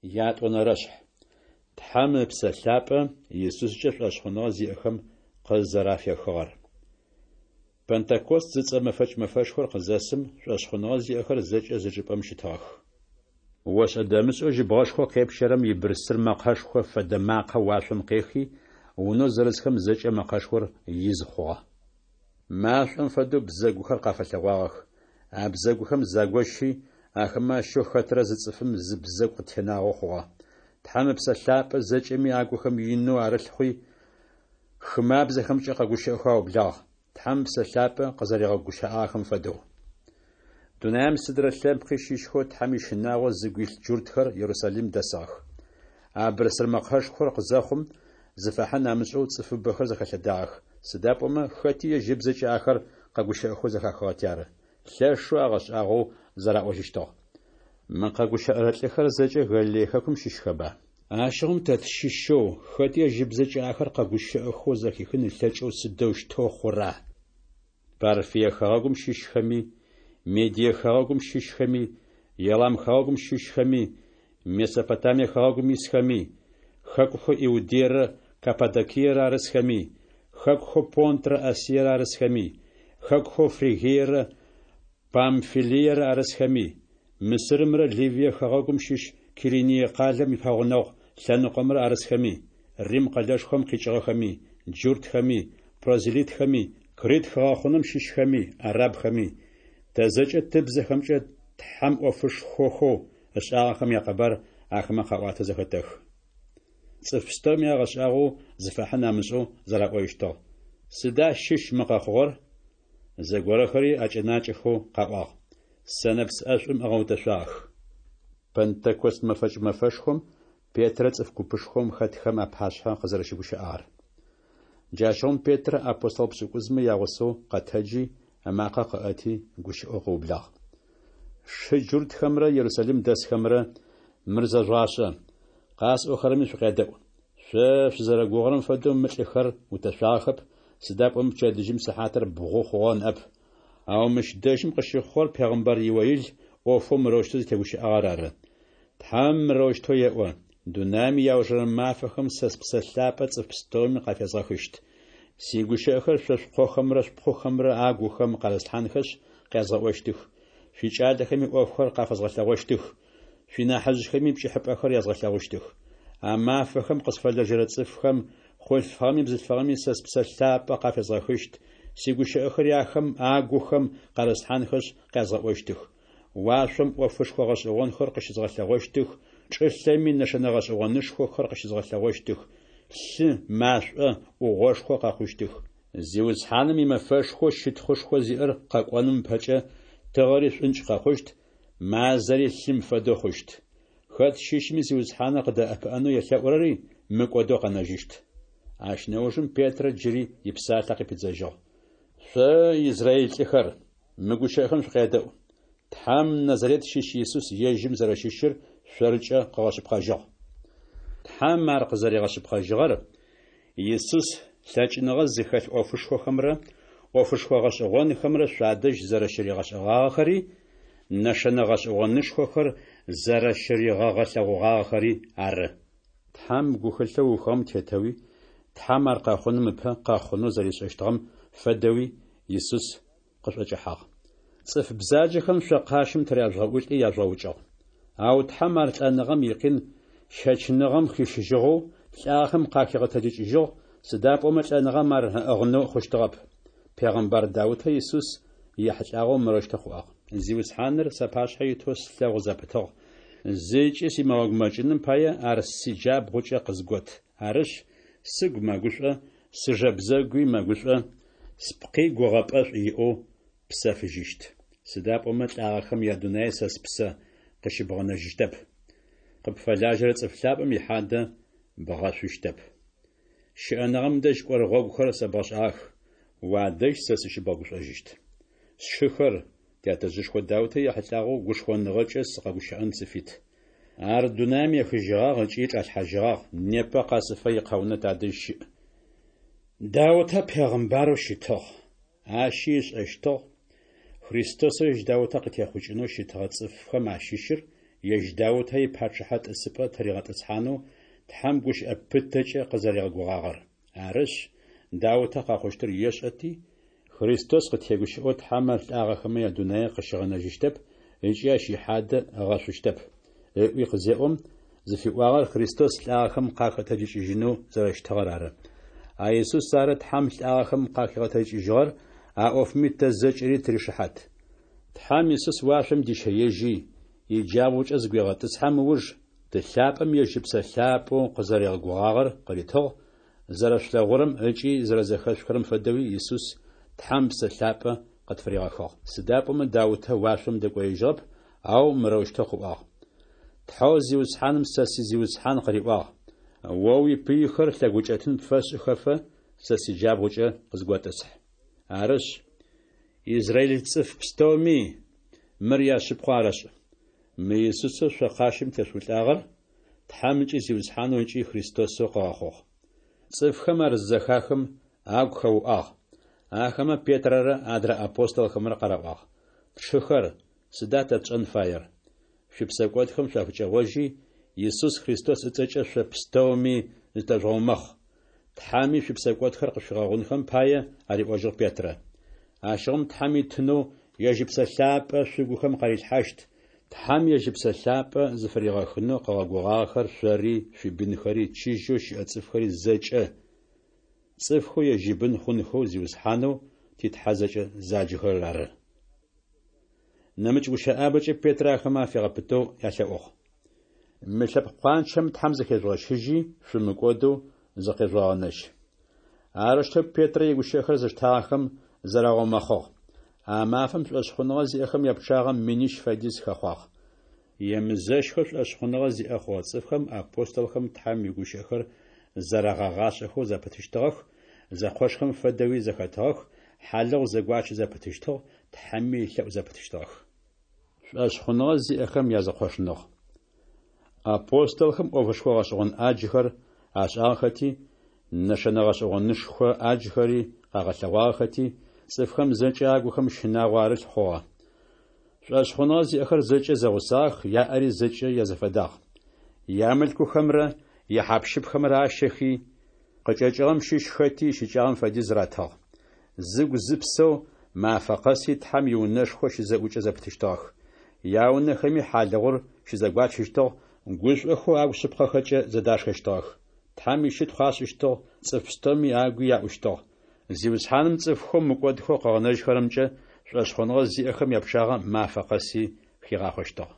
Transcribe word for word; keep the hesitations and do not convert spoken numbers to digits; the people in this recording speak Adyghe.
Ятӏонэрэшъхь. Тхьэм Ыпсэ Лъапӏэ Исускӏэ шӏошъхъуныгъэ зиӏэхэм къызэрафехыгъэр. Пэнтэкост зыцӏэ мэфэкӏ мэфэшхор къызэсым, шӏошъхъуныгъэ зиӏэхэр зэкӏэ зы чӏыпӏэм щытыгъэх. Ошӏэ-дэмышӏэу жьыбгъэшхоу къепщэрэм ибырсыр мэкъэшхо фэдэ макъэ уашъом къехи, унэу зэрысхэм зэкӏэ мэкъэшхор из хъугъэ. Машӏом фэдэу бзэгухэр къафэлъэгъуагъэх. А бзэгухэм загощи, ахэмэ ащыщэу хэтрэ зы цӏыфым зы бзэгу къытенагъэу хъугъэ. Тхьэм Ыпсэ Лъапӏэ зэкӏэми агухэм инэу арылъ хъуи, хымабзэхэмкӏэ къэгущыӏэхэу аублагъ, Тхьэм Ыпсэ Лъапӏэ къызэригъэгущыӏагъэхэм фэдэу. Дунаем сыдрэ лъэпкъи щыщхэу Тхьэм ищынагъо зыгу илъ джуртхэр Ерусалим дэсыгъэх. А бырсыр мэкъэшхор къызэхъум, зыфахьын амышӏэу цӏыфыбэхэр зэхэлъэдагъэх, сыда пӏомэ хэти ежь ыбзэкӏэ ахэр къэгущыӏэхэу зэхахыгъэти ары. Лъэшэу агъэшӏагъоу зэраӏожьыщтыгъ: Мы къэгущыӏэрэ лӏыхэр зэкӏэ Галилей хэкум щыщхэба? Ащыгъум тэ тщыщэу, хэти ежь ыбзэкӏэ ахэр къэгущыӏэхэу зэхихын ылъэкӏэу сыдэущтэу хъура? Парфие хэгъэгум щыщхэми, Медие хэгъэгум щыщхэми, Елам хэгъэгум щыщхэми, Месопотамие хэгъэгум исхэми, хэкухэу Иудейрэ Каппадокиерэ арысхэми, хэкухэу Понтрэ Асиерэ арысхэми, хэкухэу Фригиерэ Памфилиерэ арысхэми, Мысырымрэ Ливие хэгъэгум щыщ Кириние къалэм ипэгъунэгъу лъэныкъомрэ арысхэми, Рим къэлэшхом къикӏыгъэхэми, джуртхэми, прозелитхэми, Крит хыгъэхъунэм щыщхэми, арабхэми, тэ зэкӏэ тыбзэхэмкӏэ Тхьэм ӏофышхохэу ышӏагъэхэм якъэбар ахэмэ къаӏуатэу зэхэтэхы. Цӏыф пстэуми агъэшӏагъоу, зыфахьын амышӏэу зэраӏожьыщтыгъ: Сыда щыщ мы къэхъугъэр? Зыгорэхэри акӏэнакӏэхэу къаӏуагъ: Сэнэпс ӏэшӏум ыгъэутэшъуагъэх. Пэнтэкост мэфэкӏ мэфэшхом Петрэ цӏыф купышхом хэтхэм апашъхьэ къызэрэщыгущыӏагъэр. Джащыгъум Петрэ апостол пшӏыкӏузмэ ягъусэу къэтэджи, ымакъэ къыӏэти, гущыӏэу къыублагъ. Сшы джуртхэмрэ Ерусалим дэсхэмрэ, мыр зэжъугъашӏэ, къасӏохэрэми шъукъядэӏу. Шъо шъузэрэгугъэрэм фэдэу мы лӏыхэр утэшъуагъэхэп, сыда пӏомэ пчэдыжьым сыхьатыр бгъу хъугъэ ныӏэп. Ау мыщ дэжьым къыщыхъугъэр пегъымбар Иоил ӏофэу мырэущтэу зытегущыӏагъэр ары. Тхьэм мырэущтэу еӏо: Дунаим иаужырэ мафэхэм сэ Спсэ Лъапӏэ цӏыф пстэуми къафезгъэхыщт. Сигущыӏэхэр шъо шъукъохэмрэ шъупхъухэмрэ агухэм къарыслъхьанхэшъ къязгъэӏощтых, шъуикӏалэхэми ӏофхэр къафэзгъэлъэгъощтых, шъуинахьыжъхэми пкӏыхьапӏэхэр язгъэлъэгъущтых. А мафэхэм къысфэлэжьэрэ цӏыфхэм, хъулъфыгъэми бзылъфыгъэми сэ Спсэ Лъапӏэ къафезгъэхыщт, сигущыӏэхэри ахэм агухэм къарыслъхьанхэшъ къязгъэӏощтых. Уашъом ӏофышхо гъэшӏэгъонхэр къыщызгъэлъэгъощтых, чӏылъэми нэшэнэ гъэшӏэгъонышхохэр къыщызгъэлъэгъощтых, лъы, машӏо, ӏугъошхо къэхъущтых. Зиусхьаным имэфэшхоу щытхъушхо зиӏэр къэкӏоным ыпэкӏэ тыгъэри шӏункӏ къэхъущт, мазэри лъым фэдэу хъущт. Хэт щыщми Зиусхьаныр къыдэӏэпыӏэнэу елъэӏурэри мыкӏодэу къэнэжьыщт. Ащ нэужым Петрэ джыри ипсалъэ къыпидзэжьыгъ. Шъо, израиль лӏыхэр, мы гущыӏэхэм шъукъядэӏу. Тхьэм Назарет щыщ Исус ежьым зэрэщыщыр шъоркӏэ къыгъэшъыпкъэжьыгъ. Тхьэм ар къызэригъэшъыпкъэжьыгъэр Исус лъэкӏыныгъэ зыхэлъ ӏофышхохэмрэ ӏофышхо гъэшӏэгъонхэмрэ шъуадэжь зэрэщыригъэшӏэгъагъэхэри, нэшэнэ гъэшӏэгъонышхохэр зэрэщыригъэгъэлъэгъугъагъэхэри ары. Тхьэм гухэлъэу ыухыгъэм тетэуи, Тхьэм ар къэхъуным ыпэ къэхъунэу зэришӏэщтыгъэм фэдэуи Исус къышъуӏэкӏэхьагъ. Цӏыф бзаджэхэм шъо къащым тыряжъугъэӏулӏи яжъугъэукӏыгъ. Ау Тхьэм ар лӏэныгъэм икъин щэчыныгъэм хищыжьыгъэу, лӏагъэхэм къахигъэтэджыкӏыжьыгъ, сыда пӏомэ лӏэныгъэм ар ыӏыгъынэу хъущтыгъэп. Пегъымбар Даутэ Исус ехьылӏагъэу мырэущтэу къыӏуагъ: Зиусхьаныр сапашъхьэ итэу слъэгъу зэпытыгъ, зыкӏи симыгъэгумэкӏыным пае ар сиджабгъукӏэ къызгот. Арышъ, сыгу мэгушӏо, сыжэ бзэгуи мэгушӏо, спкъи гугъэпӏэшӏу иӏэу псэфыжьыщт. Сыда пӏомэ лӏагъэхэм ядунай сэ спсэ къыщыбгъэнэжьыщтэп. Къыпфэлажьэрэ цӏыф лъапӏэм ихьадэ бгъэшъущтэп. Щыӏэныгъэм дэжь кӏорэ гъогухэр сэбгъэшӏагъэх, уадэжь сэ сыщыбгъэгушӏожьыщт. Сшыхэр, тятэжъышхо Даутэ ехьылӏагъэу гушхоныгъэкӏэ сыкъэгущыӏэн сыфит. Ар дунаим ехыжьыгъагъ ыкӏи чӏалъхьажьыгъагъ, непэ къэсыфэ икъэунэ тадэжь щыӏ. Даутэ пегъымбарэу щытыгъ, ащи ышӏэщтыгъ Христосэу ежь Даутэ къытехъукӏынэу щытыгъэ цӏыфхэм ащыщыр ежь Даутэ ипачъыхьэ тӏысыпӏэ тыригъэтӏысхьанэу Тхьэм гущыӏэ пытэкӏэ къызэригъэгугъагъэр. Арышъ, Даутэ къэхъущтыр ешӏэти, Христос къытегущыӏэу Тхьэм ар лӏагъэхэмэ ядунае къыщигъэнэжьыщтэп ыкӏи ащ ихьадэ ыгъэшъущтэп, ыӏуи къызеӏом, зыфиӏуагъэр Христос лӏагъэхэм къахэтэджыкӏыжьынэу зэрэщытыгъэр ары. А Исус ары Тхьэм лӏагъэхэм къахигъэтэджыкӏыжьыгъэр, а ӏофми тэ зэкӏэри тыришыхьат. Тхьэм Исус уашъом дищэежьи, иджабгъукӏэ зыгуегъэтӏысхьэм ыуж, Ты лъапӏэм ежь Ыпсэ Лъапӏэу къызэригъэгугъагъэр къыритыгъ, Зэрэшъулъэгъурэм ыкӏи зэрэзэхэшъухырэм фэдэуи Исус Тхьэм Псэ Лъапӏэ къытфыригъэхыгъ. Сыда пӏомэ Даутэ уашъом дэкӏоежьыгъэп, ау мырэущтэу къыӏуагъ: Тхьэу Зиусхьаным сэ си Зиусхьан къыриӏуагъ: О уипыйхэр лъэгукӏэтын пфэсшӏыхэфэ, сэ сиджабгъукӏэ къызготӏысхь. Арышъ, израиль цӏыф пстэуми мыр яшъыпкъэу арэшӏ: Мы Исусэу шъо къащым тешъуӏулӏагъэр Тхьэм ыкӏи Зиусхьанэу ыкӏи Христосэу къыгъэхъугъ. Цӏыфхэм ар зызэхахым, агу хэуӏуагъ. Ахэмэ Петрэрэ адрэ апостолхэмрэ къараӏуагъ: Тшыхэр, сыда тэ тшӏэн фаер? Шъуипсэкӏодхэм шъуафыкӏэгъожьи, Исус Христос ыцӏэкӏэ шъо пстэуми зытэжъугъэумэхъ. Тхьэми шъуипсэкӏодхэр къышъуфигъэгъунхэм пае, ариӏожьыгъ Петрэ. Ащыгъум Тхьэм итынэу ежь Ыпсэ Лъапӏэ шъугухэм къарилъхьащт. Тхьэм ежь Ыпсэ Лъапӏэ зыфыригъэхынэу къыгъэгугъагъэхэр шъори, шъуибынхэри, чыжьэу щыӏэ цӏыфхэри зэкӏэ, цӏыфхэу ежь ибын хъунхэу Зиусхьанэу ти Тхьэ зэкӏэ заджэхэрэр ары. Нэмыкӏ гущыӏабэкӏэ Петрэ ахэмэ афигъэпытэу ялъэӏугъ. Мы лъэпкъ къуанчэм Тхьэм зыхежъугъэщыжьи, шъумыкӏодэу зыкъежъугъэгъэнэжь. Арэущтэу Петрэ игущыӏэхэр зыштагъэхэм зарагъэумэхъыгъ. А мафэм шӏошъхъуныгъэ зиӏэхэм япчъагъэ минищ фэдиз хэхъуагъ. Емызэщхэу шӏошъхъуныгъэ зиӏэ хъугъэ цӏыфхэм апостолхэм Тхьэм игущыӏэхэр зэрагъэгъашӏэхэу зэпытыщтыгъэх, зэкъошхэм фэдэуи зэхэтыгъэх, хьалыгъу зэгуачы зэпытыщтыгъ, Тхьэми елъэӏу зэпытыщтыгъэх. Шӏошъхъуныгъэ зиӏэхэм язэкъошныгъ. Апостолхэм ӏофышхо гъэшӏэгъон ӏаджхэр ашӏагъэхэти, нэшэнэ гъэшӏэгъонышхо ӏаджхэри къагъэлъэгъуагъэхэти, цӏыфхэм зэкӏэ агухэм щынагъо арылъ хъугъэ. Шӏошъхъуныгъэ зиӏэхэр зэкӏэ зэгъусагъэх, яӏэри зэкӏэ язэфэдагъ. Ямылъкухэмрэ яхьапщыпхэмрэ ащэхи, къыкӏэкӏыгъэм щыщ хэти ищыкӏагъэм фэдиз ратыгъ. Зыгу-зыпсэу мафэ къэси Тхьэм иунэшхо щызэӏукӏэ зэпытыщтыгъэх. Яунэхэми хьалыгъур щызэгуачыщтыгъ, гушӏохэу агу шъыпкъэхэкӏэ зэдашхэщтыгъэх. Тхьэм ищытхъу ашӏыщтыгъ, цӏыф пстэуми агуи яӏущтыгъ. Зиусхьаным цӏыфхэу мыкӏодхэу къыгъэнэжьхэрэмкӏэ шӏошъхъуныгъэ зиӏэхэм япчъагъэ мафэ къэси хигъахъощтыгъ.